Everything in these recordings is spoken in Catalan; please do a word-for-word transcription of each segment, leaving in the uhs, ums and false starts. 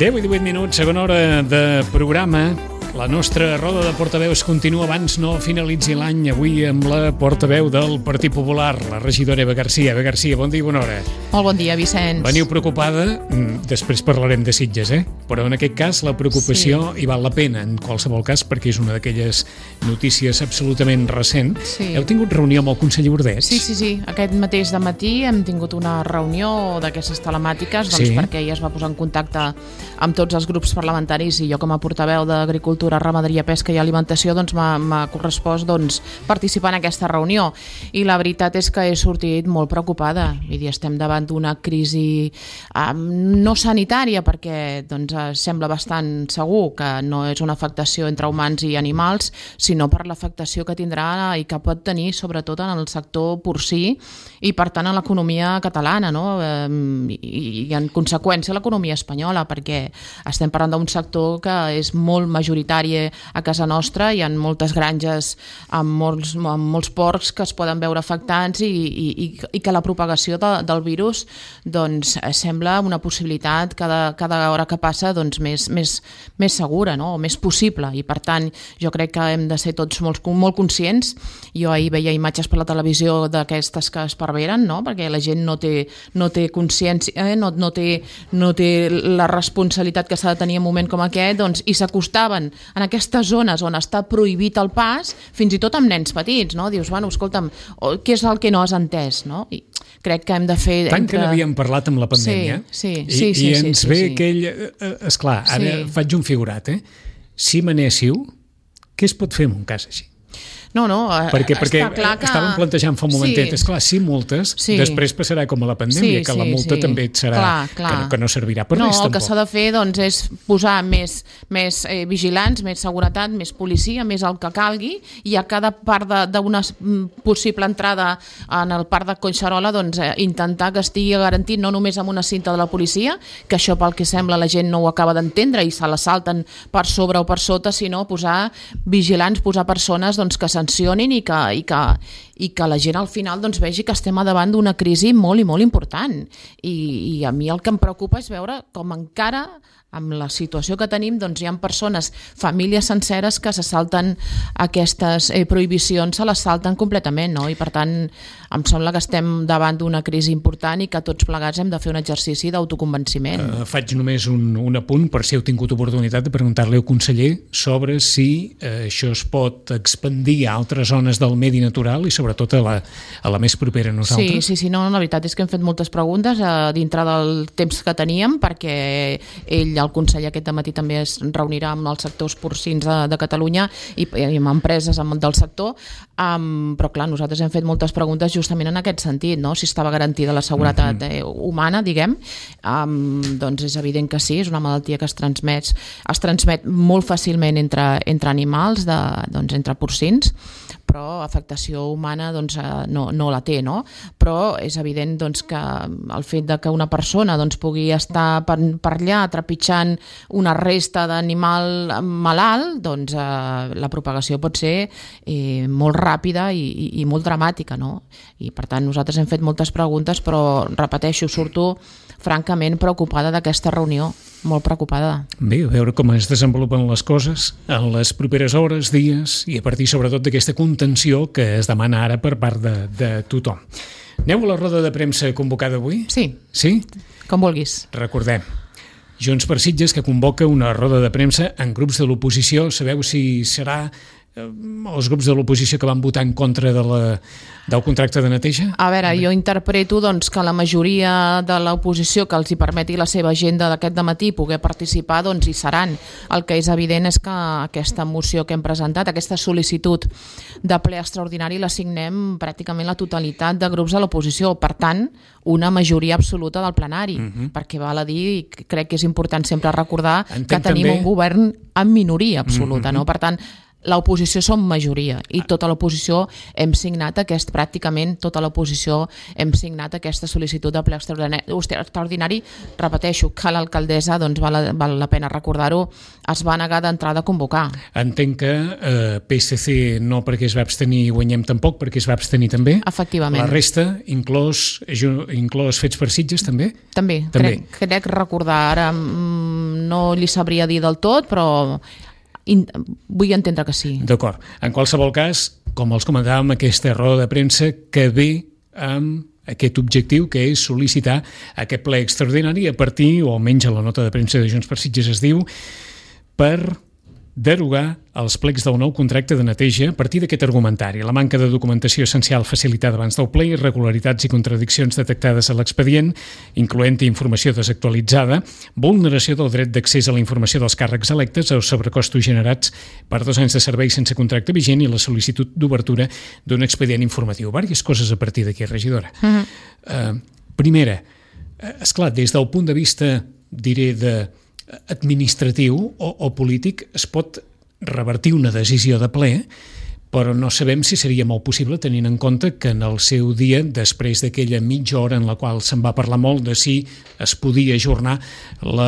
deu i divuit minuts, segona hora de programa. La nostra roda de portaveus continua abans no finalitzi l'any, avui amb la portaveu del Partit Popular, la regidora Eva Garcia. Eva Garcia, bon dia i bona hora. Molt bon dia, Vicenç. Veniu preocupada, després parlarem de Sitges, eh? Però en aquest cas la preocupació sí. hi val la pena, en qualsevol cas, perquè és una d'aquelles notícies absolutament recent. Sí. Heu tingut reunió amb el conseller Ordeix? Sí, sí, sí. Aquest mateix dematí hem tingut una reunió d'aquestes telemàtiques, doncs sí. perquè ella es va posar en contacte amb tots els grups parlamentaris i jo com a portaveu d'Agricultura, Ramaderia, Pesca i Alimentació doncs m'ha correspost doncs, participar en aquesta reunió. I la veritat és que he sortit molt preocupada. Vull dir, estem davant d'una crisi eh, no sanitària, perquè doncs, sembla bastant segur que no és una afectació entre humans i animals, sinó per l'afectació que tindrà i que pot tenir sobretot en el sector porcí i per tant en l'economia catalana, no? eh, i, i en conseqüència l'economia espanyola, perquè estem parlant d'un sector que és molt majoritari a casa nostra. Hi ha moltes granges amb molts, amb molts porcs que es poden veure afectats i, i, i que la propagació de, del virus doncs, sembla una possibilitat cada, cada hora que passa doncs, més, més, més segura, no? O més possible, i per tant jo crec que hem de ser tots molt, molt conscients. Jo ahir veia imatges per la televisió d'aquestes que es perveren, no? Perquè la gent no té, no té consciència, eh? no, no, té, no té la responsabilitat que s'ha de tenir en un moment com aquest, doncs, i s'acostaven en aquestes zones on està prohibit el pas, fins i tot amb nens petits, no? Dius, bueno, escolta'm, què és el que no has entès, no? I crec que hem de fer... Tant entre... que n'havíem parlat amb la pandèmia, sí, sí, i, sí, sí, i ens sí, ve sí, sí. aquell... Esclar, ara sí. faig un figurat, eh? Si manéssiu, què es pot fer en un cas així? No, no, perquè, perquè està clar que... estàvem plantejant fa un momentet, sí. esclar, sí, multes, sí. després passarà com a la pandèmia, sí, que la multa sí, sí. també et serà, clar, clar. Que, no, que no servirà per no, res, tampoc. No, el que s'ha de fer doncs, és posar més, més eh, vigilants, més seguretat, més policia, més el que calgui, i a cada part d'una possible entrada en el parc de Collserola doncs, eh, intentar que estigui garantit no només amb una cinta de la policia, que això pel que sembla la gent no ho acaba d'entendre i se la salten per sobre o per sota, sinó posar vigilants, posar persones doncs, que sancionin i que, i, que, i que la gent al final doncs, vegi que estem davant d'una crisi molt i molt important. I, i a mi el que em preocupa és veure com encara amb la situació que tenim doncs, hi ha persones, famílies senceres que se salten aquestes eh, prohibicions, se les salten completament, no? I per tant em sembla que estem davant d'una crisi important i que tots plegats hem de fer un exercici d'autoconvenciment. Uh, faig només un, un apunt per si heu tingut oportunitat de preguntar-li al conseller sobre si uh, això es pot expandir a altres zones del medi natural i sobretot a la, a la més propera a nosaltres. Sí, sí, sí, no, la veritat és que hem fet moltes preguntes uh, dintre del temps que teníem, perquè ell, el conseller aquest dematí també es reunirà amb els sectors porcins de, de Catalunya i, i amb empreses amb, del sector, um, però clar, nosaltres hem fet moltes preguntes justament en aquest sentit, no? Si estava garantida la seguretat eh, humana, diguem, um, doncs és evident que sí, és una malaltia que es transmet, es transmet molt fàcilment entre, entre animals, de, doncs entre porcins, però afectació humana doncs, no, no la té, no? Però és evident doncs, que el fet de que una persona doncs, pugui estar per, per allà trepitjant una resta d'animal malalt, doncs eh, la propagació pot ser eh, molt ràpida i, i, i molt dramàtica, no? I per tant nosaltres hem fet moltes preguntes, però repeteixo, surto francament preocupada d'aquesta reunió, molt preocupada. Bé, a veure com es desenvolupen les coses en les properes hores, dies, i a partir sobretot d'aquesta contenció que es demana ara per part de, de tothom. Aneu a la roda de premsa convocada avui? Sí. Sí? Com vulguis. Recordem, Junts per Sitges, que convoca una roda de premsa en grups de l'oposició. Sabeu si serà els grups de l'oposició que van votar en contra de la, del contracte de neteja? A veure, jo interpreto doncs, que la majoria de l'oposició que els hi permeti la seva agenda d'aquest dematí poder participar, doncs hi seran. El que és evident és que aquesta moció que hem presentat, aquesta sol·licitud de ple extraordinari, la signem pràcticament la totalitat de grups de l'oposició. Per tant, una majoria absoluta del plenari, uh-huh. perquè val a dir, i crec que és important sempre recordar Entenc que tenim també... un govern en minoria absoluta, uh-huh. no? Per tant, l'oposició som majoria i tota l'oposició hem signat aquest, pràcticament tota l'oposició hem signat aquesta sol·licitud de ple extraordinari. Repeteixo que l'alcaldessa, doncs val, val la pena recordar-ho, es va negar d'entrada a convocar. Entenc que eh, P S C no perquè es va abstenir i Guanyem tampoc perquè es va abstenir també. Efectivament. La resta, inclòs, inclòs Fets per Sitges també? També, també. Crec, crec recordar ara, mm, no li sabria dir del tot, però in, vull entendre que sí. D'acord. En qualsevol cas, com els comentàvem, aquesta roda de premsa que ve amb aquest objectiu, que és sol·licitar aquest ple extraordinari a partir, o almenys a la nota de premsa de Junts per Sitges es diu, per derogar els plecs del nou contracte de neteja a partir d'aquest argumentari. La manca de documentació essencial facilitada abans del ple, irregularitats i contradiccions detectades a l'expedient, incloent-hi informació desactualitzada, vulneració del dret d'accés a la informació dels càrrecs electes, els sobrecostos generats per dos anys de servei sense contracte vigent i la sol·licitud d'obertura d'un expedient informatiu. Vàries coses a partir d'aquí, regidora. Uh-huh. Uh, primera, esclar, des del punt de vista, diré, de administratiu o, o polític, es pot revertir una decisió de ple, però no sabem si seria molt possible tenint en compte que en el seu dia, després d'aquella mitja hora en la qual se'n va parlar molt de si es podia ajornar la,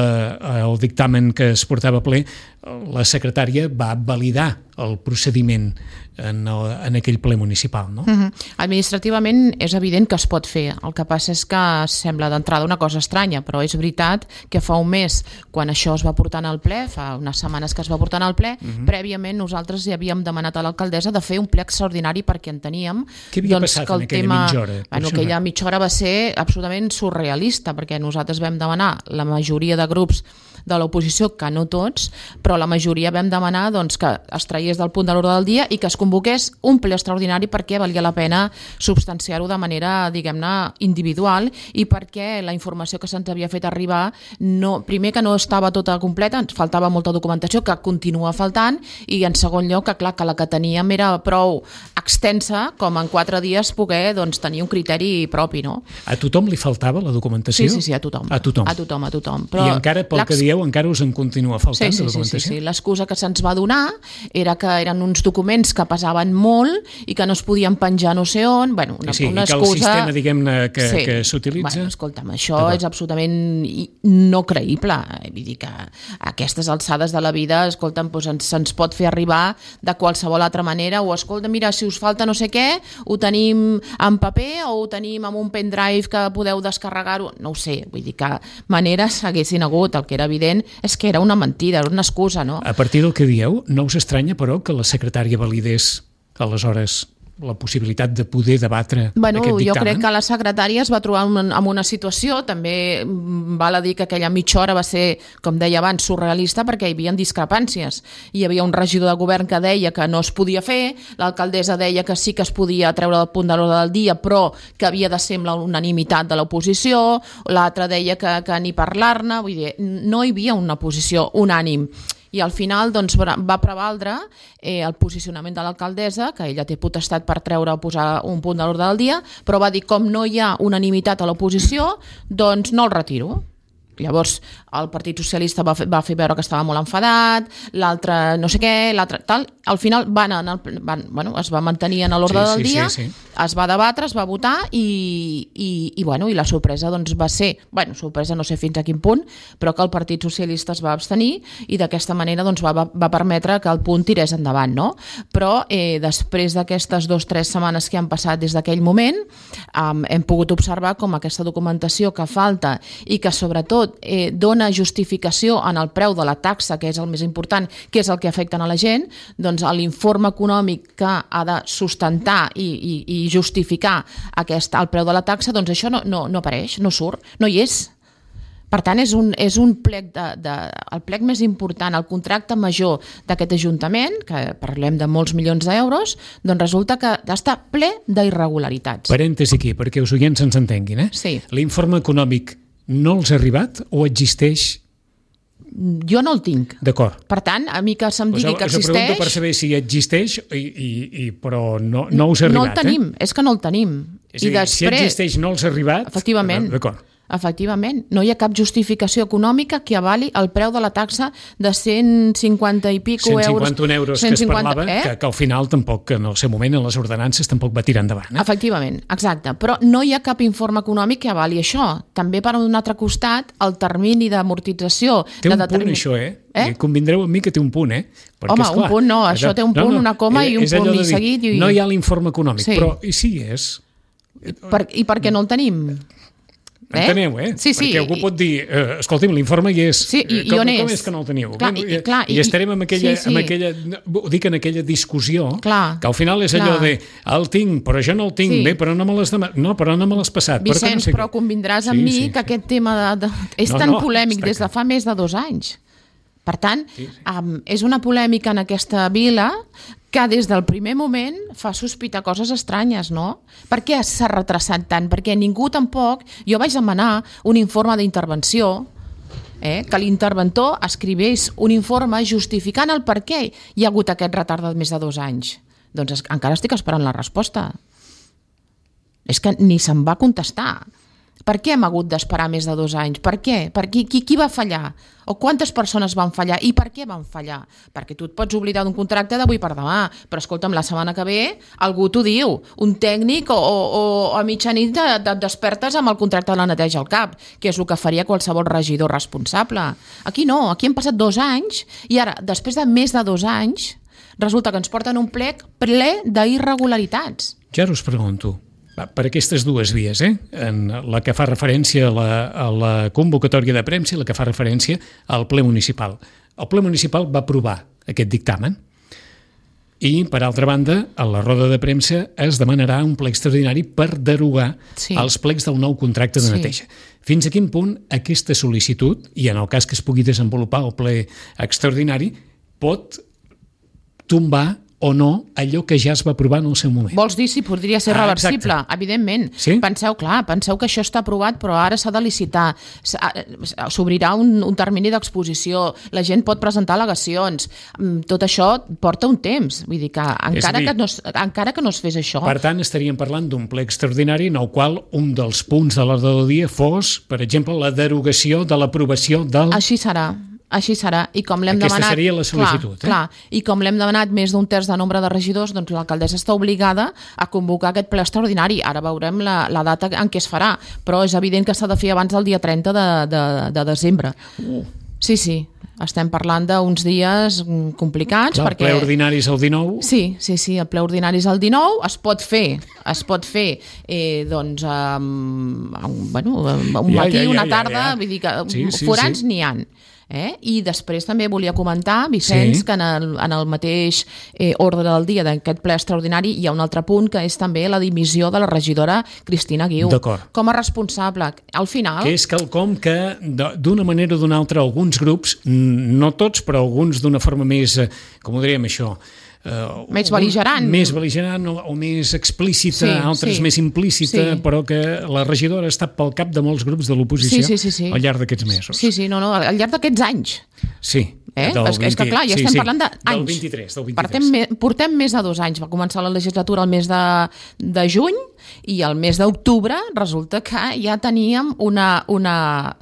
el dictamen que es portava a ple, la secretària va validar el procediment en, el, en aquell ple municipal, no? Uh-huh. Administrativament és evident que es pot fer. El que passa és que sembla d'entrada una cosa estranya, però és veritat que fa un mes, quan això es va portar al ple, fa unes setmanes que es va portar al ple, uh-huh. prèviament nosaltres ja havíem demanat a l'alcaldessa de fer un ple extraordinari perquè enteníem Què havia doncs, passat que el en aquella tema, mitja hora? Bueno, aquella mitja hora va ser absolutament surrealista, perquè nosaltres vam demanar, la majoria de grups de l'oposició, que no tots, però la majoria vam demanar doncs, que es traiés del punt de l'ordre del dia i que es convoqués un ple extraordinari perquè valia la pena substanciar-ho de manera, diguem-ne, individual i perquè la informació que se'ns havia fet arribar, no, primer que no estava tota completa, ens faltava molta documentació que continua faltant i en segon lloc que clar que la que teníem era prou extensa com en quatre dies poder doncs, tenir un criteri propi. No? A tothom li faltava la documentació? Sí, sí, sí, a tothom. A tothom. A tothom, a tothom. Però I encara, pel que dieu, encara us en continua faltant sí, sí, de documentació? Sí, sí, sí. L'excusa que se'ns va donar era que eren uns documents que pesaven molt i que no es podien penjar no sé on. Bueno, una, sí, una i que excusa... el sistema, diguem-ne, que, sí. que s'utilitza... Bueno, escolta'm, això és absolutament no creïble. Vull dir que a aquestes alçades de la vida, escolta'm, doncs ens, se'ns pot fer arribar de qualsevol altra manera o, escolta, mira, si us falta no sé què, ho tenim en paper o ho tenim en un pendrive que podeu descarregar-ho. No ho sé, vull dir que maneres haguessin hagut. El que era evident és que era una mentida, era una excusa, no? A partir del que dieu, no us estranya, però, que la secretària validés aleshores la possibilitat de poder debatre bueno, aquest dictamen? Jo crec que la secretària es va trobar en, en una situació, també val a dir que aquella mitja hora va ser, com deia abans, surrealista perquè hi havia discrepàncies. Hi havia un regidor de govern que deia que no es podia fer, l'alcaldessa deia que sí que es podia treure del punt de l'ordre del dia, però que havia de ser amb la unanimitat de l'oposició, l'altre deia que, que ni parlar-ne, vull dir, no hi havia una posició unànim. I al final doncs, va prevaldre eh, el posicionament de l'alcaldessa, que ella té potestat per treure o posar un punt de l'ordre del dia, però va dir com no hi ha unanimitat a l'oposició, doncs no el retiro. Llavors el Partit Socialista va fer, va fer veure que estava molt enfadat, l'altre no sé què, l'altre tal, al final van, en el, van, bueno, es va mantenir en l'ordre sí, del sí, dia, sí, sí. es va debatre, es va votar i, i, i, bueno, i la sorpresa doncs, va ser, bueno, sorpresa no sé fins a quin punt, però que el Partit Socialista es va abstenir i d'aquesta manera doncs, va, va permetre que el punt tirés endavant, no? Però eh, després d'aquestes dues o tres setmanes que han passat des d'aquell moment, um, hem pogut observar com aquesta documentació que falta i que sobretot Eh, dona justificació en el preu de la taxa, que és el més important, que és el que afecta a la gent, doncs l'informe econòmic que ha de sustentar i, i, i justificar aquest, el preu de la taxa, doncs això no, no, no apareix, no surt, no hi és. Per tant, és un, és un plec de, de, el plec més important, el contracte major d'aquest Ajuntament, que parlem de molts milions d'euros, doncs resulta que està ple d'irregularitats. Parèntesi aquí, perquè els oients ens entenguin. Eh? Sí. L'informe econòmic no els ha arribat o existeix? Jo no el tinc. D'acord. Per tant, a mi que se'm digui us, que existeix... Us pregunto per saber si existeix, i, i, i, però no, no us ha arribat. No el tenim, eh? És que no el tenim. És a dir, I després, si existeix no els ha arribat... Efectivament. D'acord. Efectivament, no hi ha cap justificació econòmica que avali el preu de la taxa de cent cinquanta i pico euros. cent cinquanta un euros cent cinquanta, que es parlava, eh? que, que al final tampoc, en el seu moment, en les ordenances, tampoc va tirar endavant. Eh? Efectivament, exacte. Però no hi ha cap informe econòmic que avali això. També, per un altre costat, el termini d'amortització... Té un de determin... punt, això, eh? eh? Convindreu amb mi que té un punt, eh? Perquè, Home, esclar, un punt no, això té un punt, no, no, una coma i un punt i seguit. I... No hi ha l'informe econòmic, sí. però i sí és... I per, I per què no el tenim? Enteneu, eh? Sí, sí. Perquè algú pot dir, eh, escolti'm, l'informe hi és. Sí, i, com, i on és? Com és que no el teniu? Clar, i, i, clar, I, I estarem en aquella, sí, sí. en aquella, ho dic en aquella discussió, clar, que al final és clar. allò de, el tinc, però jo no el tinc, sí. bé, però no me l'has demanat, no, però no me l'has passat. Vicenç, però, no sé però què. convindràs amb sí, mi sí, que sí. aquest tema de, de, és no, tan no, polèmic des de fa més de dos anys. Per tant, sí, sí. Um, és una polèmica en aquesta vila que des del primer moment fa sospitar coses estranyes, no? Per què s'ha retrasat tant? Perquè ningú tampoc... Jo vaig demanar un informe d'intervenció, eh, que l'interventor escrivés un informe justificant el per què hi ha hagut aquest retard de més de dos anys. Doncs es, encara estic esperant la resposta. És que ni se'm va contestar. Per què hem hagut d'esperar més de dos anys? Per què? Per qui, qui, qui va fallar? O quantes persones van fallar? I per què van fallar? Perquè tu et pots oblidar d'un contracte d'avui per demà, però escolta'm, la setmana que ve algú t'ho diu, un tècnic o, o, o a mitjanit de, de, despertes amb el contracte de la neteja al cap, que és el que faria qualsevol regidor responsable. Aquí no, aquí han passat dos anys i ara, després de més de dos anys, resulta que ens porten un plec ple d'irregularitats. Ja us pregunto, per aquestes dues vies, eh? En la que fa referència a la, a la convocatòria de premsa i la que fa referència al ple municipal. El ple municipal va aprovar aquest dictamen i, per altra banda, a la roda de premsa es demanarà un ple extraordinari per derogar sí. els plecs del nou contracte de neteja. Sí. Fins a quin punt aquesta sol·licitud, i en el cas que es pugui desenvolupar el ple extraordinari, pot tombar o no allò que ja es va aprovar en el seu moment. Vols dir si podria ser ah, reversible? Exacte. Evidentment. Sí? Penseu, clar, penseu que això està aprovat, però ara s'ha de licitar. S'obrirà un, un termini d'exposició, la gent pot presentar al·legacions. Tot això porta un temps. Vull dir que encara, dir, que, no, encara que no es fes això... Per tant, estaríem parlant d'un ple extraordinari en el qual un dels punts de l'ordre del dia fos, per exemple, la derogació de l'aprovació del... Així serà. Així serà, i com l'hem Aquesta demanat... seria la sol·licitud, clar, eh? Clar, i com l'hem demanat més d'un terç de nombre de regidors, doncs l'alcaldessa està obligada a convocar aquest ple extraordinari. Ara veurem la, la data en què es farà, però és evident que s'ha de fer abans del dia trenta de, de, de desembre. Uh. Sí, sí, estem parlant d'uns dies complicats. Clar, perquè... El ple ordinari és el dinou. Sí, sí, sí, el ple ordinari és el dinou, es pot fer, es pot fer eh, doncs, um, bueno, un ja, matí, ja, ja, una tarda, ja, ja. vull dir que sí, sí, forans sí. n'hi ha. Eh? I després també volia comentar, Vicenç, sí. que en el, en el mateix eh, ordre del dia d'aquest ple extraordinari hi ha un altre punt que és també la dimissió de la regidora Cristina Guiu. Com a responsable. Al final... Que és quelcom que d'una manera o d'una altra alguns grups, no tots, però alguns d'una forma més, com ho diríem això... Uh, més bel·ligerant. Més bel·ligerant o, o més explícita, sí, altres sí. més implícita, sí. però que la regidora ha estat pel cap de molts grups de l'oposició sí, sí, sí, sí. al llarg d'aquests mesos. Sí, sí, no, no, al llarg d'aquests anys. Sí. Eh? És, és que clar, ja sí, estem sí. parlant d'anys. Del vint-i-tres. Del vint-i-tres. Portem, portem més de dos anys. Va començar la legislatura el mes de, de juny i el mes d'octubre resulta que ja teníem una, una,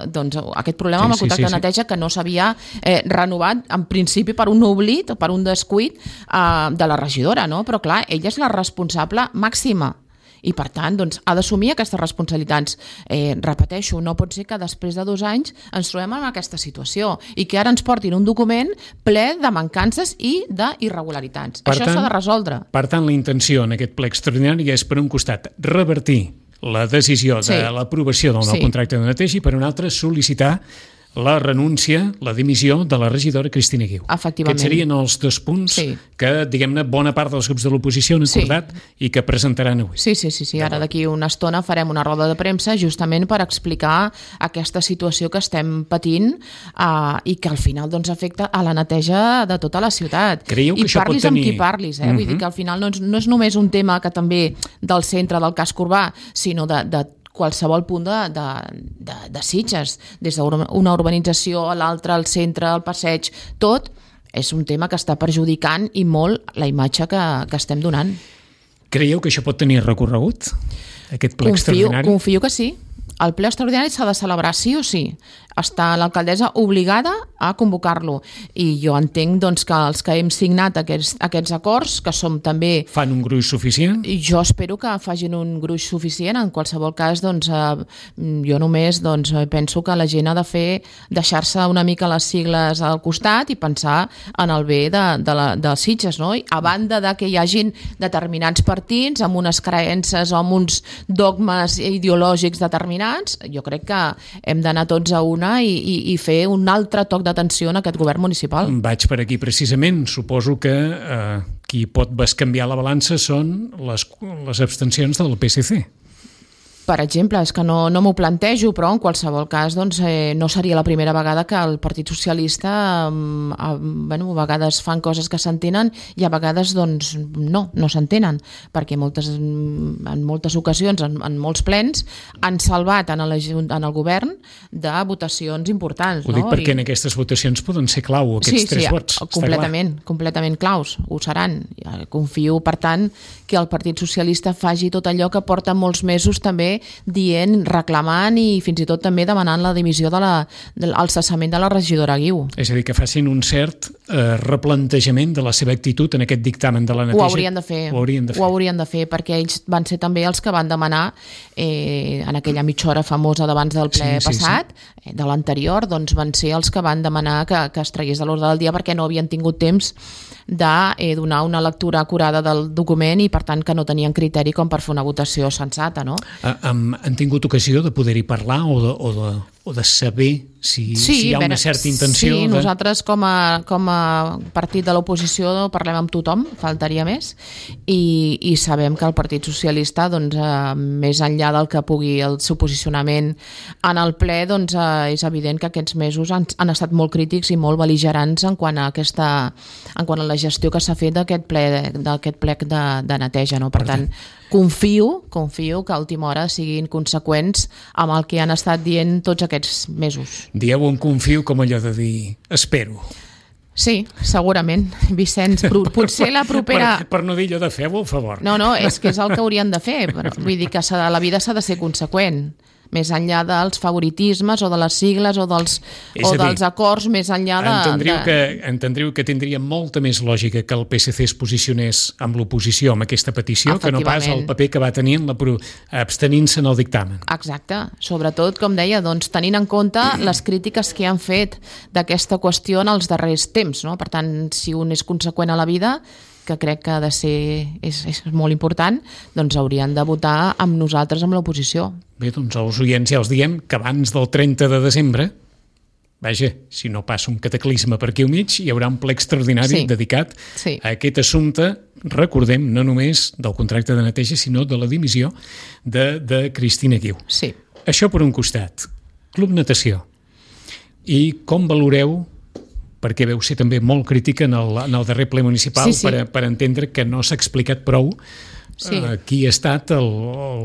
doncs, aquest problema sí, amb el contracte sí, sí, de neteja sí. que no s'havia eh, renovat en principi per un oblit o per un descuit eh, de la regidora, no? Però clar, ella és la responsable màxima. I, per tant, doncs, ha d'assumir aquestes responsabilitats. Eh, repeteixo, no pot ser que després de dos anys ens trobem en aquesta situació i que ara ens portin un document ple de mancances i d'irregularitats. Això s'ha de resoldre. Per tant, la intenció en aquest ple extraordinari és, per un costat, revertir la decisió de sí. l'aprovació del nou sí. contracte de neteja i, per un altre, sol·licitar la renúncia, la dimissió de la regidora Cristina Guiu. Efectivament. Aquests serien els dos punts sí. que, diguem-ne, bona part dels grups de l'oposició han acordat sí. i que presentaran avui. Sí, sí, sí, sí. Ara d'aquí una estona farem una roda de premsa justament per explicar aquesta situació que estem patint uh, i que al final doncs, afecta a la neteja de tota la ciutat. Creieu que I això pot parlis tenir... amb qui parlis, eh? Uh-huh. Vull dir que al final no és, no és només un tema que també del centre del casc urbà, sinó de, de qualsevol punt de, de, de, de Sitges, des d'una urbanització a l'altra, al centre, al passeig, tot és un tema que està perjudicant i molt la imatge que, que estem donant. Creieu que això pot tenir recorregut, aquest ple confio, extraordinari? Confio que sí. El ple extraordinari s'ha de celebrar sí o sí. està l'alcaldessa obligada a convocar-lo. I jo entenc doncs, que els que hem signat aquests, aquests acords, que som també... Fan un gruix suficient? Jo espero que facin un gruix suficient. En qualsevol cas, doncs, eh, jo només doncs, penso que la gent ha de fer, deixar-se una mica les sigles al costat i pensar en el bé de, de, la, de Sitges, no? I a banda de que hi hagin determinats partits amb unes creences o amb uns dogmes ideològics determinats, jo crec que hem d'anar tots a una i, i, i fer un altre toc d'atenció en aquest govern municipal. Vaig per aquí precisament. Suposo que eh, qui pot bescanviar la balança són les, les abstencions del P S C. Per exemple, és que no, no m'ho plantejo, però en qualsevol cas doncs, eh, no seria la primera vegada que el Partit Socialista eh, a, bueno, a vegades fan coses que s'entenen i a vegades doncs, no, no s'entenen, perquè moltes, en moltes ocasions, en, en molts plens, han salvat en el, en el govern de votacions importants. Ho dic no? perquè I... en aquestes votacions poden ser clau aquests sí, tres sí, vots. Completament, completament claus, ho seran. Confio, per tant, que el Partit Socialista faci tot allò que porta molts mesos també dient, reclamant i fins i tot també demanant la dimissió de la, del cessament de la regidora Guiu. És a dir, que facin un cert eh, replantejament de la seva actitud en aquest dictamen de la neteja. Ho haurien de fer, ho haurien de fer, ho haurien de fer perquè ells van ser també els que van demanar eh, en aquella mitja hora famosa d'abans del ple sí, passat, sí, sí. de l'anterior, doncs van ser els que van demanar que, que es tragués de l'ordre del dia perquè no havien tingut temps de eh, donar una lectura acurada del document i per tant que no tenien criteri com per fer una votació sensata, no? Ah, um, han tingut ocasió de poder-hi parlar o de, o de, o de saber si, sí, si hi ha ben, una certa intenció? Sí, de... nosaltres com a, com a partit de l'oposició parlem amb tothom, faltaria més, i, i sabem que el Partit Socialista, doncs, eh, més enllà del que pugui el seu posicionament en el ple, doncs, eh, és evident que aquests mesos han, han estat molt crítics i molt bel·ligerants en quant a, aquesta, en quant a la gestió que s'ha fet d'aquest ple, d'aquest plec de, de neteja. No? Per, per tant, confio, confio que a última hora siguin conseqüents amb el que han estat dient tots aquests mesos. Dieu on confio com allò de dir espero. Sí, segurament. Vicenç, potser la propera... Per, per no dir allò de feu-ho, al favor. No, no, és que és el que haurien de fer. Però vull dir que la vida s'ha de ser conseqüent. Més enllà dels favoritismes o de les sigles o dels, o dir, dels acords, més enllà de... Entendriu, de... Que, entendriu que tindria molta més lògica que el P S C es posicionés amb l'oposició amb aquesta petició que no pas el paper que va tenir en la pro... abstenint-se en el dictamen. Exacte. Sobretot, com deia, doncs, tenint en compte les crítiques que han fet d'aquesta qüestió en els darrers temps. No? Per tant, si un és conseqüent a la vida, que crec que ha de ser, és, és molt important, doncs haurien de votar amb nosaltres, amb l'oposició. Bé, doncs als oients ja els diem que abans del trenta de desembre, vaja, si no passa un cataclisme per aquí al mig, hi haurà un ple extraordinari sí. dedicat sí. a aquest assumpte, recordem, no només del contracte de neteja, sinó de la dimissió de, de Cristina Guiu. Sí. Això per un costat. Club Natació. I com valoreu, perquè veu ser també molt crítica en el, en el darrer ple municipal, sí, sí. Per, per entendre que no s'ha explicat prou sí. eh, qui ha estat el,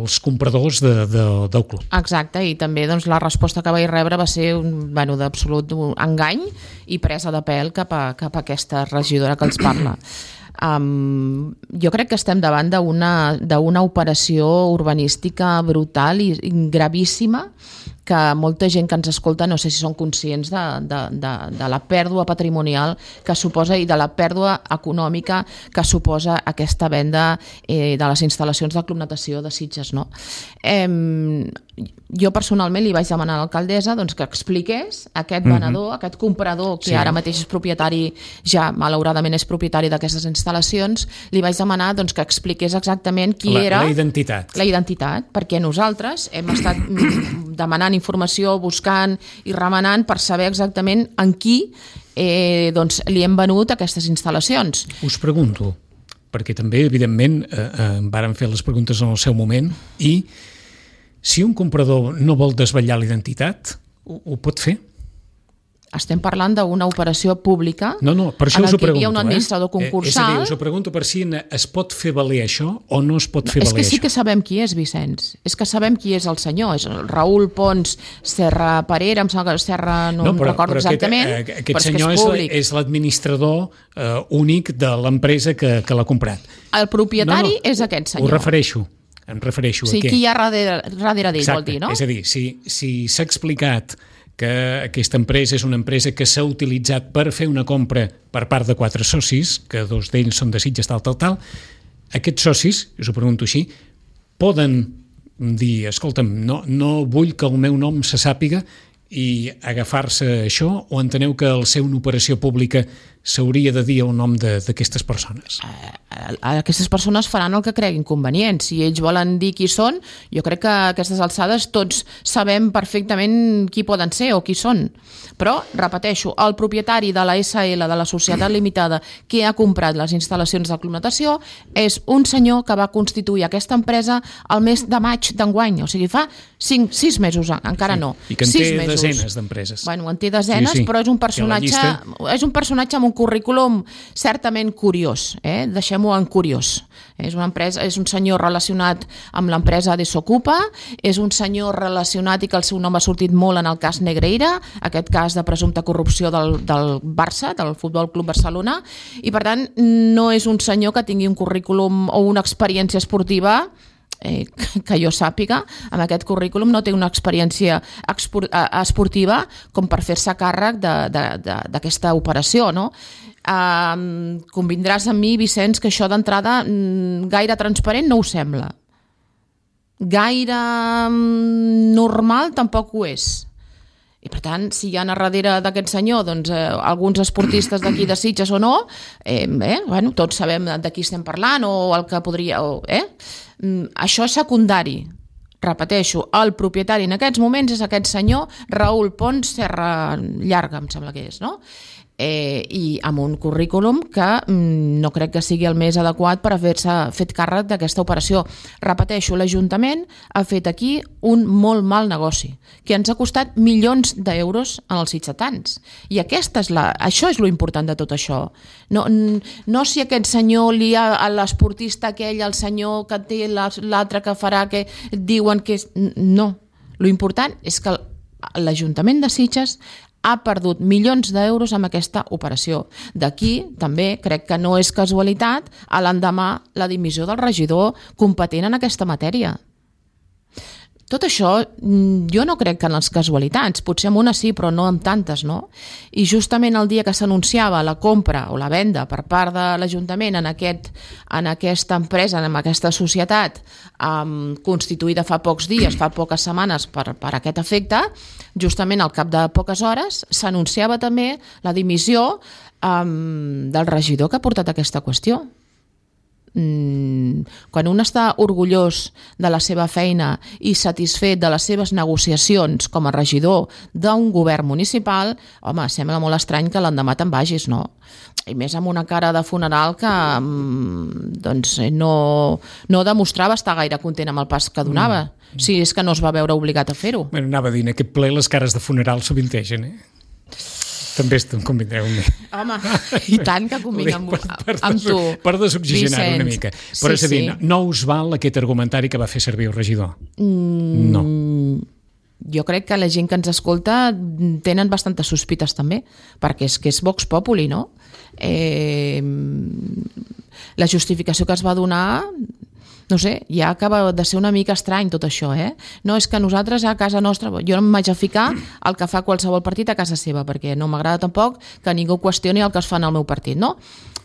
els compradors de, de, del club. Exacte, i també doncs, la resposta que vaig rebre va ser un, bueno, d'absolut engany i presa de pèl cap a, cap a aquesta regidora que els parla. Um, jo crec que estem davant d'una d'una operació urbanística brutal i, i gravíssima, que molta gent que ens escolta no sé si són conscients de, de, de, de la pèrdua patrimonial que suposa i de la pèrdua econòmica que suposa aquesta venda eh, de les instal·lacions del Club Natació de Sitges. No? Eh, jo personalment li vaig demanar a l'alcaldessa doncs, que expliqués aquest venedor, mm-hmm. aquest comprador que sí. ara mateix és propietari, ja malauradament és propietari d'aquestes instal·lacions, li vaig demanar doncs, que expliqués exactament qui la, era... La identitat. La identitat, perquè nosaltres hem estat demanant informació, buscant i remenant per saber exactament en qui eh, doncs, li hem venut aquestes instal·lacions. Us pregunto, perquè també, evidentment, eh, eh, varen fer les preguntes en el seu moment, i si un comprador no vol desvetllar l'identitat, ho, ho pot fer? Estem parlant d'una operació pública no, no, per això en us ho què hi havia pregunto, un administrador eh? concursal. És a dir, us ho pregunto per si es pot fer valer això o no es pot fer és valer que sí això. que sabem qui és, Vicenç. És que sabem qui és el senyor. És el Raül Pons Serra Parera, em sembla que Serra no, no però, em recordo però exactament. Aquest, aquest però senyor és, és, és l'administrador eh, únic de l'empresa que, que l'ha comprat. El propietari no, no, és aquest senyor. Ho refereixo. Em refereixo sí, a què? Qui hi ha darrere, darrere d'ell, exacte, vol dir, no? És a dir, si, si s'ha explicat que aquesta empresa és una empresa que s'ha utilitzat per fer una compra per part de quatre socis, que dos d'ells són de Sitges, tal, tal, tal. Aquests socis, us ho pregunto així, poden dir, escolta'm, no, no vull que el meu nom se sàpiga i agafar-se a això, o enteneu que al ser una operació pública s'hauria de dir el nom d'aquestes persones? Aquestes persones faran el que creguin convenient. Si ells volen dir qui són, jo crec que a aquestes alçades tots sabem perfectament qui poden ser o qui són. Però, repeteixo, el propietari de la essa ele, de la societat limitada, que ha comprat les instal·lacions d'aclimatació, és un senyor que va constituir aquesta empresa al mes de maig d'enguany. O sigui, fa cinc, sis mesos, encara sí. no. I que en sis té mesos. desenes d'empreses. Bueno, en té desenes, sí, sí. però és un personatge, és un personatge amb un currículum certament curiós, eh? Deixem-ho en curiós. És una empresa, és un senyor relacionat amb l'empresa Desokupa, és un senyor relacionat i que el seu nom ha sortit molt en el cas Negreira, aquest cas de presumpta corrupció del, del Barça, del Futbol Club Barcelona, i per tant no és un senyor que tingui un currículum o una experiència esportiva eh, que jo sàpiga. Amb aquest currículum no té una experiència esportiva com per fer-se càrrec d'aquesta operació, no? Uh, convindràs amb mi, Vicenç, que això d'entrada gaire transparent no ho sembla. Gaire normal tampoc ho és. I per tant, si hi ha a darrere d'aquest senyor doncs, eh, alguns esportistes d'aquí de Sitges o no, eh, eh, bueno, tots sabem de qui estem parlant o el que podria... O, eh? Això és secundari. Repeteixo, el propietari en aquests moments és aquest senyor Raül Pons Serra Llarga, em sembla que és, no? Eh, i amb un currículum que mm, no crec que sigui el més adequat per haver-se fet càrrec d'aquesta operació. Repeteixo, l'Ajuntament ha fet aquí un molt mal negoci, que ens ha costat milions d'euros en els sitgetans. I aquesta és la, això és lo important de tot això. No, no si aquest senyor lia a l'esportista aquell, el senyor que té l'altre que farà, que diuen que és... No, lo important és que l'Ajuntament de Sitges ha perdut milions d'euros amb aquesta operació. D'aquí, també, crec que no és casualitat, a l'endemà la dimissió del regidor competent en aquesta matèria. Tot això, jo no crec que en les casualitats, potser en una sí, però no en tantes, no? I justament el dia que s'anunciava la compra o la venda per part de l'Ajuntament en, aquest, en aquesta empresa, en aquesta societat um, constituïda fa pocs dies, fa poques setmanes per, per aquest efecte, justament al cap de poques hores s'anunciava també la dimissió um, del regidor que ha portat aquesta qüestió. Quan un està orgullós de la seva feina i satisfet de les seves negociacions com a regidor d'un govern municipal, home, sembla molt estrany que l'endemà te'n vagis, no? I més amb una cara de funeral que doncs, no, no demostrava estar gaire content amb el pas que donava, mm. si és que no es va veure obligat a fer-ho. Bueno, anava a dir, en aquest ple les cares de funeral sovintegen, eh? També em convindreu amb mi. Home, i tant que convinc amb, per, per amb tu. Per desoxigenar una mica. Però sí, és a dir, sí. no, no us val aquest argumentari que va fer servir el regidor? Mm, no. Jo crec que la gent que ens escolta tenen bastantes sospites també, perquè és que és Vox Populi, no? Eh, la justificació que es va donar... No sé, ja acaba de ser una mica estrany tot això, eh? No, és que nosaltres a casa nostra... Jo no em vaig a ficar el que fa qualsevol partit a casa seva, perquè no m'agrada tampoc que ningú qüestioni el que es fa en el meu partit, no?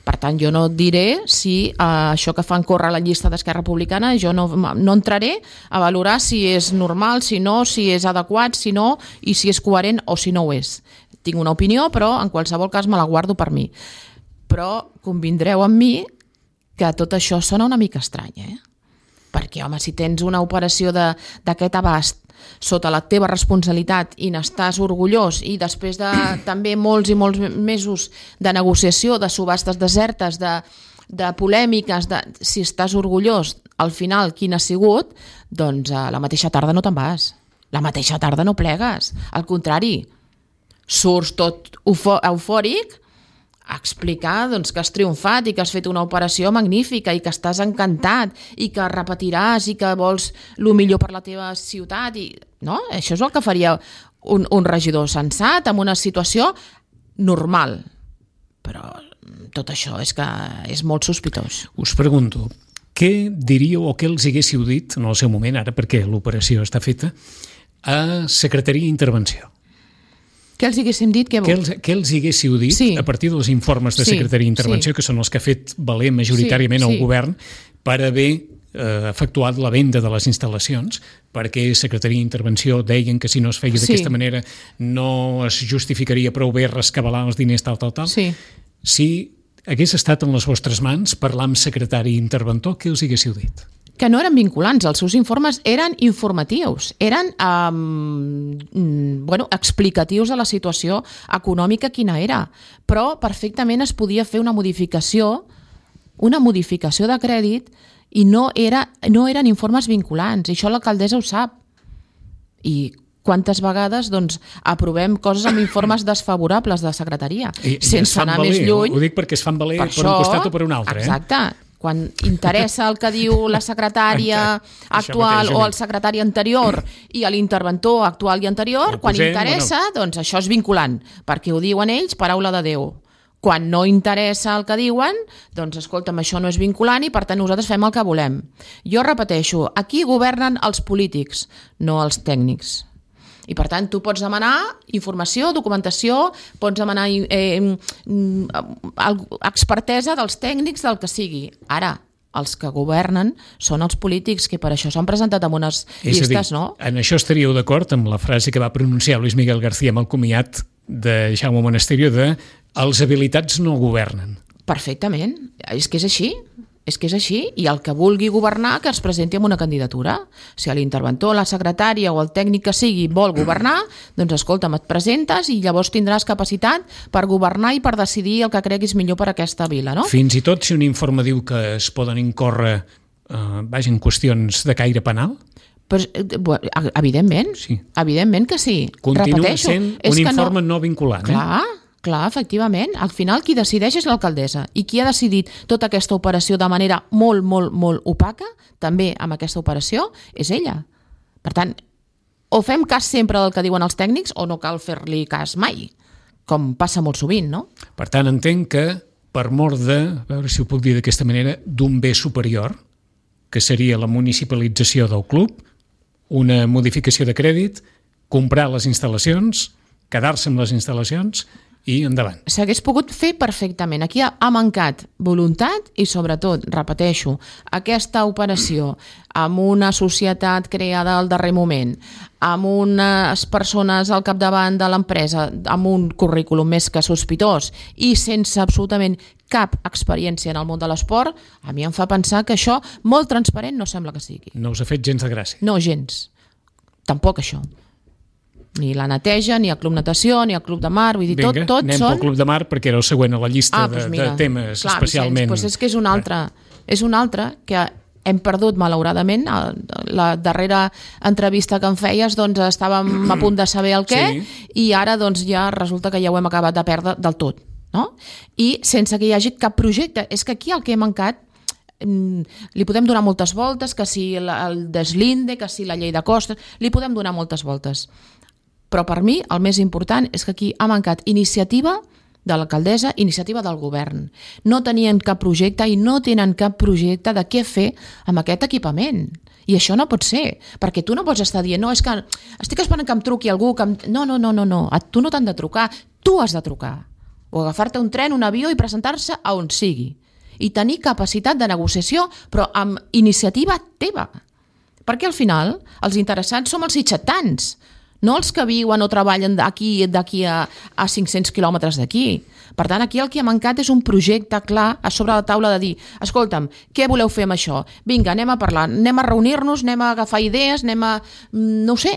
Per tant, jo no diré si eh, això que fan córrer la llista d'Esquerra Republicana, jo no, no entraré a valorar si és normal, si no, si és adequat, si no, i si és coherent o si no ho és. Tinc una opinió, però en qualsevol cas me la guardo per mi. Però convindreu amb mi que tot això sona una mica estrany, eh? Perquè, home, si tens una operació d'aquest abast sota la teva responsabilitat i n'estàs orgullós i després de també molts i molts mesos de negociació, de subhastes desertes, de, de polèmiques, de, si estàs orgullós, al final quin ha sigut, doncs a la mateixa tarda no te'n vas. La mateixa tarda no plegues. Al contrari, surts tot eufòric a explicar doncs, que has triomfat i que has fet una operació magnífica i que estàs encantat i que repetiràs i que vols el millor per la teva ciutat. I, no? Això és el que faria un, un regidor sensat en una situació normal. Però tot això és que és molt sospitós. Us pregunto, què diríeu o què els haguéssiu dit en el seu moment, ara perquè l'operació està feta, a Secretaria d'Intervenció? Què els haguéssim dit? Què, què, els, què els haguéssiu dit sí. a partir dels informes de sí. Secretaria d'Intervenció, sí. que són els que ha fet valer majoritàriament sí. el sí. govern, per haver eh, efectuat la venda de les instal·lacions, perquè Secretaria d'Intervenció deien que si no es feia sí. d'aquesta manera no es justificaria prou bé rescabalar els diners tal, tal, tal. Sí. Si hagués estat en les vostres mans parlar amb secretari interventor, què us haguéssiu dit? Que no eren vinculants, els seus informes eren informatius, eren um, bueno, explicatius de la situació econòmica quina era, però perfectament es podia fer una modificació, una modificació de crèdit i no, era, no eren informes vinculants, i això l'alcaldessa ho sap. I quantes vegades doncs, aprovem coses amb informes desfavorables de secretaria, I, sense anar valer, més lluny. Ho dic perquè es fan valer per, per això, un costat o per un altre. Exacte. Eh? Quan interessa el que diu la secretària actual o el secretari anterior i l'interventor actual i anterior, quan posem, interessa, bueno. doncs això és vinculant, perquè ho diuen ells, paraula de Déu. Quan no interessa el que diuen, doncs escolta'm, això no és vinculant i per tant nosaltres fem el que volem. Jo repeteixo, aquí governen els polítics, no els tècnics. I per tant tu pots demanar informació, documentació, pots demanar eh, expertesa dels tècnics del que sigui. Ara, els que governen són els polítics, que per això s'han presentat amb unes és llistes, dir, no? En això estaríeu d'acord amb la frase que va pronunciar Luis Miguel García amb el comiat de Jaume Monasterio de els habilitats no governen. Perfectament, és que és així. És que és així, i el que vulgui governar que es presenti amb una candidatura. Si l'interventor, la secretària o el tècnic que sigui vol governar, doncs escolta'm, et presentes i llavors tindràs capacitat per governar i per decidir el que creguis millor per a aquesta vila, no? Fins i tot si un informe diu que es poden incórrer eh, vaja, en qüestions de caire penal? Pues, evidentment, sí. evidentment que sí. Continua Repeteixo, sent un informe no, no vinculant. Clar, eh? Clar, efectivament. Al final qui decideix és l'alcaldessa i qui ha decidit tota aquesta operació de manera molt, molt, molt opaca, també amb aquesta operació, és ella. Per tant, o fem cas sempre del que diuen els tècnics o no cal fer-li cas mai, com passa molt sovint, no? Per tant, entenc que per mort de, a veure si ho puc dir d'aquesta manera, d'un bé superior, que seria la municipalització del club, una modificació de crèdit, comprar les instal·lacions, quedar-se amb les instal·lacions i endavant. S'hagués pogut fer perfectament. Aquí ha, ha mancat voluntat i, sobretot, repeteixo, aquesta operació amb una societat creada al darrer moment, amb unes persones al capdavant de l'empresa, amb un currículum més que sospitós i sense absolutament cap experiència en el món de l'esport, a mi em fa pensar que això, molt transparent, no sembla que sigui. No us ha fet gens de gràcia? No, gens. Tampoc això. Ni la neteja, ni el club natació, ni el club de mar, vull dir, Vinga, tot, tot anem són... pel club de mar perquè era el següent a la llista ah, doncs de, de temes clar, especialment... Vicenç, doncs és que és un altre, és un altre que hem perdut malauradament. La darrera entrevista que em feies doncs estàvem a punt de saber el què sí. i ara doncs ja resulta que ja ho hem acabat de perdre del tot, no? I sense que hi hagi cap projecte. És que aquí el que he mancat li podem donar moltes voltes, que si el deslinde, que si la llei de costes, li podem donar moltes voltes. Però per mi el més important és que aquí ha mancat iniciativa de l'alcaldessa, iniciativa del govern. No tenien cap projecte i no tenen cap projecte de què fer amb aquest equipament. I això no pot ser, perquè tu no pots estar dient no, és que estic esperant que em truqui algú que em... no, no, no, no, no, a tu no t'han de trucar, tu has de trucar o agafar-te un tren, un avió i presentar-se a on sigui i tenir capacitat de negociació però amb iniciativa teva, perquè al final els interessats som els sitxatans, no els que viuen o treballen d'aquí d'aquí a, a cinc-cents quilòmetres d'aquí. Per tant, aquí el que ha mancat és un projecte clar a sobre la taula de dir, escolta'm, què voleu fer amb això? Vinga, anem a parlar, anem a reunir-nos, anem a agafar idees, anem a... no ho sé.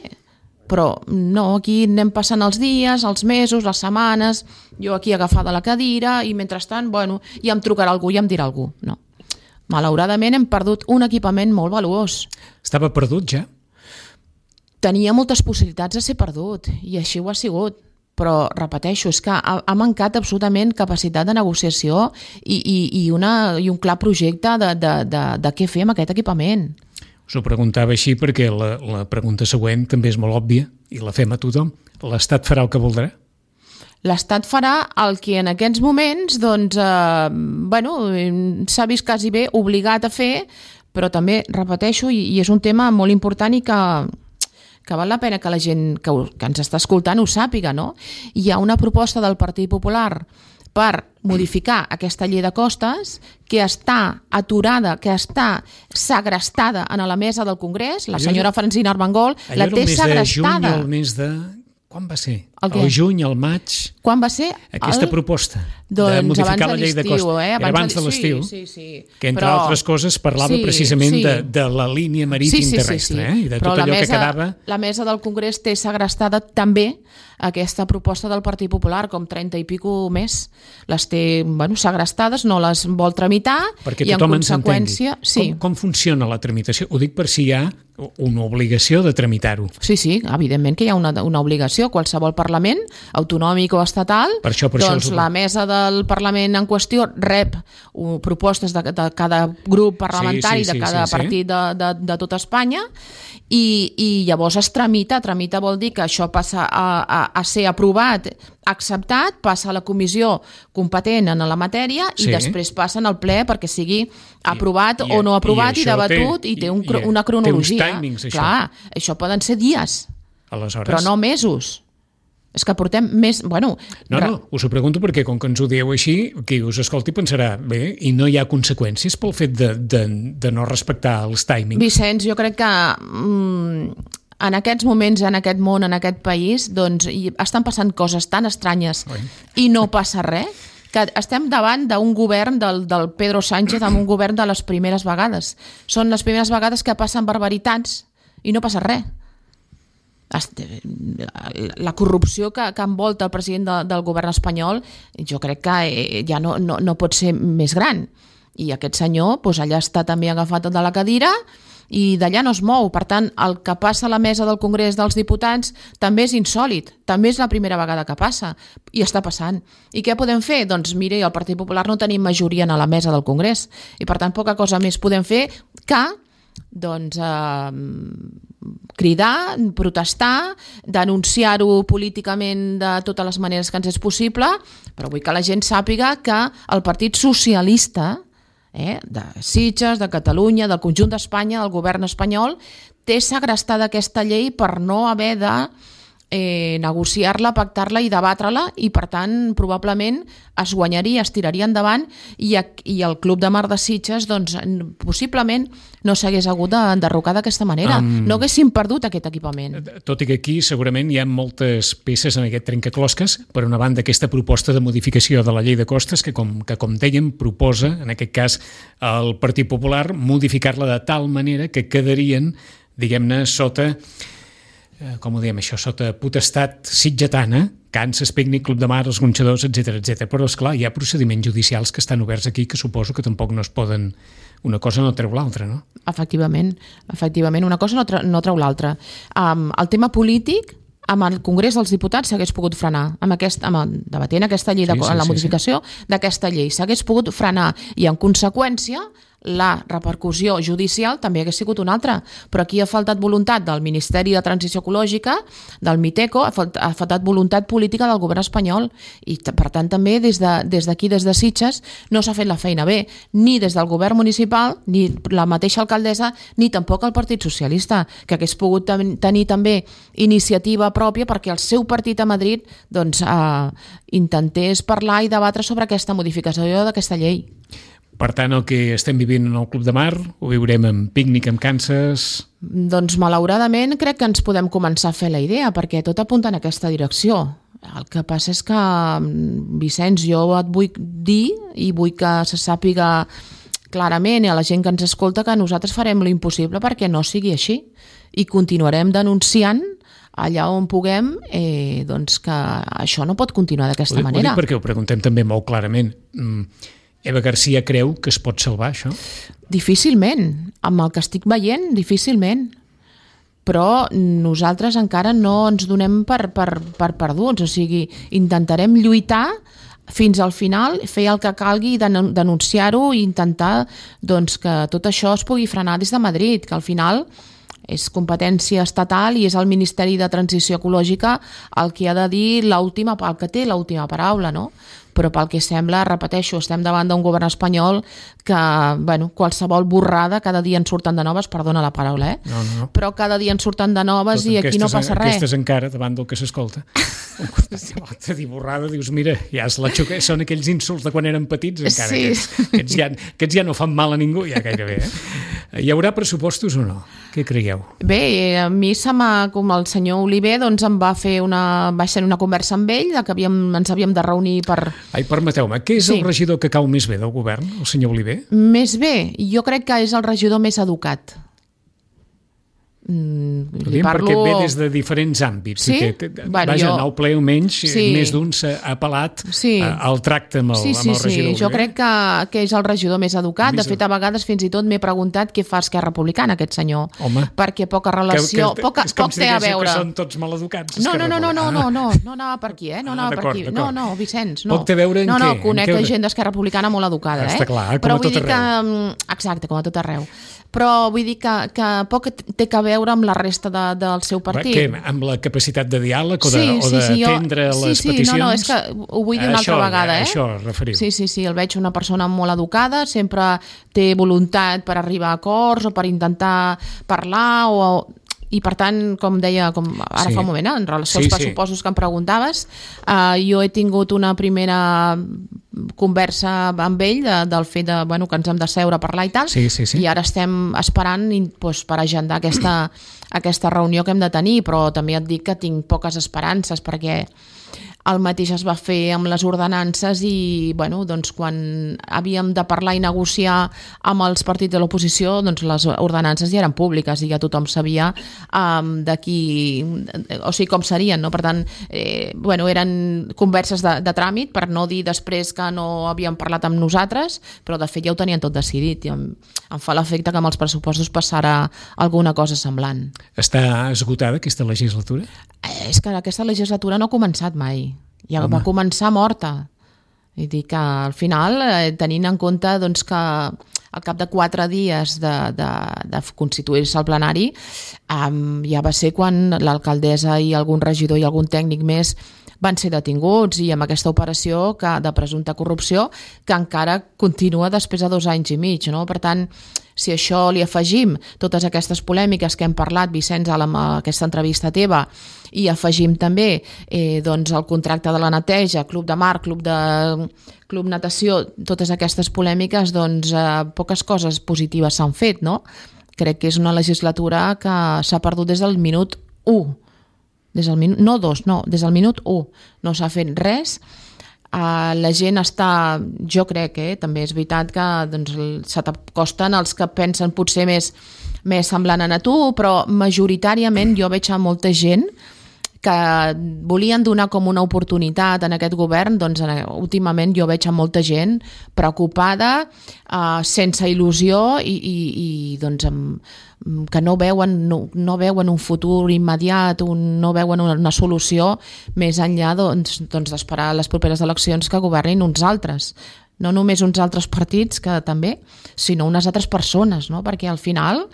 Però no, aquí anem passant els dies, els mesos, les setmanes, jo aquí agafada a la cadira i mentrestant, bueno, ja em trucarà algú, ja em dirà algú. No. Malauradament hem perdut un equipament molt valuós. Estava perdut ja? Tenia moltes possibilitats de ser perdut i així ho ha sigut, però repeteixo, és que ha, ha mancat absolutament capacitat de negociació i, i, i, una, i un clar projecte de, de, de, de què fer amb aquest equipament. Us ho preguntava així perquè la, la pregunta següent també és molt òbvia i la fem a tothom. L'Estat farà el que voldrà? L'Estat farà el que en aquests moments doncs, eh, bueno, s'ha vist quasi bé obligat a fer, però també, repeteixo, i, i és un tema molt important i que... que val la pena que la gent que, que ens està escoltant ho sàpiga, no? Hi ha una proposta del Partit Popular per modificar aquesta llei de costes que està aturada, que està segrestada en la mesa del Congrés, la senyora Francina Armengol la té segrestada. Allò era el mes de juny, el mes de... Quan va ser? El, el juny, el maig... Quan va ser? Aquesta el... proposta doncs de modificar de la llei de costes. Eh? Abans, abans de, de l'estiu, sí, sí, sí. que entre Però... altres coses parlava sí, precisament sí. de, de la línia marítim sí, sí, terrestre, sí, sí. eh? I de Però tot allò mesa, que quedava... La mesa del Congrés té segrestada també aquesta proposta del Partit Popular, com trenta i pico més. Les té, bueno, segrestades, no les vol tramitar perquè i en conseqüència... Sí. Com, com funciona la tramitació? Ho dic per si hi ha una obligació de tramitar-ho. Sí, sí, evidentment que hi ha una, una obligació. Qualsevol Parlament, autonòmic o estatal, per això, per doncs això la mesa del Parlament en qüestió rep uh, propostes de, de cada grup parlamentari, sí, sí, sí, de cada sí, partit de, de, de tot Espanya, i, i llavors es tramita. Tramita vol dir que això passa a, a, a ser aprovat, acceptat, passa a la comissió competent en la matèria i sí. després passa al ple perquè sigui aprovat I, o no aprovat i, i debatut té, i té un, i, una cronologia. Té uns timings, això. Clar, això poden ser dies, aleshores... però no mesos. És que portem més... Bueno, no, no, us ho pregunto perquè com que ens ho dieu així, qui us escolti pensarà, bé, i no hi ha conseqüències pel fet de, de, de no respectar els timings? Vicenç, jo crec que mm, en aquests moments, en aquest món, en aquest país, doncs hi estan passant coses tan estranyes Oi. i no passa res, que estem davant d'un govern del, del Pedro Sánchez, amb un govern de les primeres vegades. Són les primeres vegades que passen barbaritats i no passa res. La corrupció que, que envolta el president de, del govern espanyol jo crec que ja no, no, no pot ser més gran, i aquest senyor doncs, allà està també agafat de la cadira i d'allà no es mou. Per tant, el que passa a la mesa del Congrés dels Diputats també és insòlit, també és la primera vegada que passa i està passant. I què podem fer? Doncs mire, el Partit Popular no tenim majoria a la mesa del Congrés i per tant poca cosa més podem fer que doncs eh, cridar, protestar, denunciar-ho políticament de totes les maneres que ens és possible, però vull que la gent sàpiga que el Partit Socialista eh, de Sitges, de Catalunya, del conjunt d'Espanya, del govern espanyol, té segrestada aquesta llei per no haver de eh, negociar-la, pactar-la i debatre-la, i per tant probablement es guanyaria, es tiraria endavant i, i el Club de Mar de Sitges doncs, possiblement no s'hagués hagut d'enderrocar d'aquesta manera, um, no haguéssim perdut aquest equipament. Tot i que aquí segurament hi ha moltes peces en aquest trencaclosques. Per una banda, aquesta proposta de modificació de la llei de costes que com, que, com dèiem, proposa, en aquest cas, el Partit Popular, modificar-la de tal manera que quedarien, diguem-ne, sota... com ho diem això, sota potestat sitgetana, Kansas, Picnic, Club de Mar, els Gronxadors, etcètera, etcètera. Però, esclar, hi ha procediments judicials que estan oberts aquí que suposo que tampoc no es poden... Una cosa no treu l'altra, no? Efectivament, efectivament, una cosa no, tra no treu l'altra. Um, el tema polític, amb el Congrés dels Diputats s'hagués pogut frenar, amb aquest, amb, debatent aquesta llei, de, sí, sí, en la modificació sí, sí. d'aquesta llei, s'hagués pogut frenar i, en conseqüència, la repercussió judicial també hagués sigut una altra, però aquí ha faltat voluntat del Ministeri de Transició Ecològica, del Miteco, ha faltat voluntat política del govern espanyol i per tant també des d'aquí, de, des, des de Sitges, no s'ha fet la feina bé, ni des del govern municipal, ni la mateixa alcaldessa, ni tampoc el Partit Socialista, que hagués pogut ten tenir també iniciativa pròpia perquè el seu partit a Madrid doncs, eh, intentés parlar i debatre sobre aquesta modificació d'aquesta llei. Per tant, el que estem vivint en el Club de Mar ho viurem amb Picnic, amb Kansas... Doncs malauradament crec que ens podem començar a fer la idea, perquè tot apunta en aquesta direcció. El que passa és que, Vicenç, jo et vull dir i vull que se sàpiga clarament a la gent que ens escolta que nosaltres farem l'impossible perquè no sigui així i continuarem denunciant allà on puguem eh, doncs que això no pot continuar d'aquesta manera. Ho dic perquè ho preguntem també molt clarament. Eva García creu que es pot salvar, això? Difícilment. Amb el que estic veient, difícilment. Però nosaltres encara no ens donem per, per, per perduts. O sigui, intentarem lluitar fins al final, fer el que calgui, denunciar-ho i intentar doncs, que tot això es pugui frenar des de Madrid, que al final és competència estatal i és el Ministeri de Transició Ecològica el que ha de dir l'última, el que té l'última paraula, no? però pel que sembla, repeteixo, estem davant d'un govern espanyol que, bueno, qualsevol borrada, cada dia en surten de noves, perdona la paraula, eh? No, no, no. Però cada dia en surten de noves Tot i aquí no passa res. Aquestes encara, davant del que s'escolta. De dir borrada, dius, mira, ja és la xoca... són aquells insults de quan eren petits, encara, Sí. aquests, aquests, ja, aquests ja no fan mal a ningú, ja gairebé. Eh? Hi haurà pressupostos o no? Què creieu? Bé, a mi se m'ha, com el senyor Oliver, doncs em va fer una, vaig tenir una conversa amb ell, que havíem, ens havíem de reunir per... Ai, permeteu-me, què és Sí. el regidor que cau més bé del govern, el senyor Oliver? Més bé, jo crec que és el regidor més educat. Mm, li Diem parlo... perquè ve des de diferents àmbits. Sí? I que, que, Bueno, vaja, jo- en el ple almenys, Sí. més d'un s'ha apel·lat Sí. a- al tracte amb el, Sí, sí, amb el regidor sí. Jo Oliver. crec que, que és el regidor més educat. Més De fet, a vegades fins i tot m'he preguntat què fa Esquerra Republicana, aquest senyor. Home. Perquè poca relació, que, poca, és com poc si té a diguéssiu veure. que són tots maleducats. No, no, no, no, no, Esquerra no, Republicana. no, no anava per aquí, eh? No Ah, anava per d'acord, aquí. d'acord. No, no, Vicenç, no. Poc té a veure en no, no, què? En conec què- gent d'Esquerra Republicana molt educada, eh? Està clar, com Però a vull tot dir que... mm, Exacte, com a tot arreu. Però vull dir que, que poc té a veure amb la resta de, del seu partit. Què, amb la capacitat de diàleg o de, Sí, o sí, de sí, jo- atendre sí, les sí, peticions? no, no, és que ho vull dir una Això, altra vegada, eh? Això referiu. Sí, sí, sí, el veig una persona molt educada, sempre té voluntat per arribar a acords o per intentar parlar o... I per tant, com deia com ara Sí. fa un moment, eh, en relació Sí, als sí. pressupostos que em preguntaves, eh, jo he tingut una primera conversa amb ell de, del fet de, bueno, que ens hem de seure a parlar i tal, Sí, sí, sí. i ara estem esperant doncs, per agendar aquesta, aquesta reunió que hem de tenir, però també et dic que tinc poques esperances perquè el mateix es va fer amb les ordenances i bueno, doncs, quan havíem de parlar i negociar amb els partits de l'oposició, doncs les ordenances ja eren públiques i ja tothom sabia um, d'aquí, o sigui, com serien, no? Per tant, eh, bueno, eren converses de, de tràmit, per no dir després que no havíem parlat amb nosaltres, però de fet ja ho tenien tot decidit i em, em fa l'efecte que amb els pressupostos passarà alguna cosa semblant. Està esgotada aquesta legislatura? Eh, és que aquesta legislatura no ha començat mai. Ja Home. va començar morta. I dic que al final, eh, tenint en compte doncs, que al cap de quatre dies de, de, de constituir-se el plenari, um, ja va ser quan l'alcaldessa i algun regidor i algun tècnic més van ser detinguts i amb aquesta operació que, de presumpta corrupció que encara continua després de dos anys i mig. No? Per tant, si això li afegim totes aquestes polèmiques que hem parlat, Vicenç, amb aquesta entrevista teva, i afegim també eh, doncs el contracte de la neteja, club de mar, club de club natació, totes aquestes polèmiques, doncs eh, poques coses positives s'han fet, no? Crec que és una legislatura que s'ha perdut des del minut u. Des del minut, no dos, no, des del minut u. No s'ha fet res. Uh, la gent està, jo crec, eh, també és veritat que doncs, se t'acosten els que pensen potser més, més semblant a tu, però majoritàriament jo veig a molta gent que volien donar com una oportunitat en aquest govern, doncs últimament jo veig a molta gent preocupada, uh, sense il·lusió i, i, i doncs amb, que no veuen, no, no veuen un futur immediat, un, no veuen una, una solució més enllà doncs, doncs d'esperar les properes eleccions que governin uns altres. No només uns altres partits, que també, sinó unes altres persones, no? Perquè al final,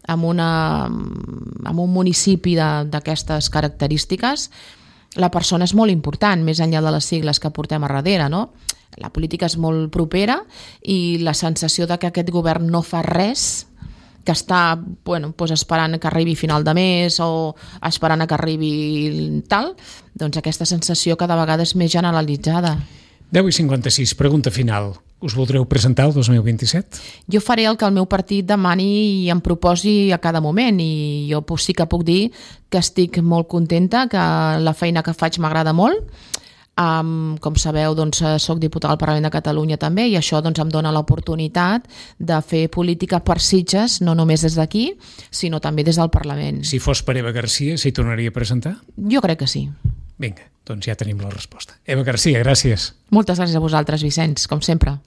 en, una, en un municipi d'aquestes característiques, la persona és molt important, més enllà de les sigles que portem a darrere, no? La política és molt propera i la sensació de que aquest govern no fa res, que està bueno, doncs esperant que arribi final de mes o esperant que arribi tal, doncs aquesta sensació cada vegada és més generalitzada. deu i cinquanta-sis, pregunta final. Us voldreu presentar el dos mil vint-i-set? Jo faré el que el meu partit demani i em proposi a cada moment i jo sí que puc dir que estic molt contenta, que la feina que faig m'agrada molt. Um, com sabeu, doncs, soc diputada al Parlament de Catalunya també i això doncs, em dona l'oportunitat de fer política per Sitges, no només des d'aquí, sinó també des del Parlament. Si fos per Eva Garcia, s'hi tornaria a presentar? Jo crec que sí. Vinga, doncs ja tenim la resposta. Eva Garcia, gràcies. Moltes gràcies a vosaltres, Vicenç, com sempre.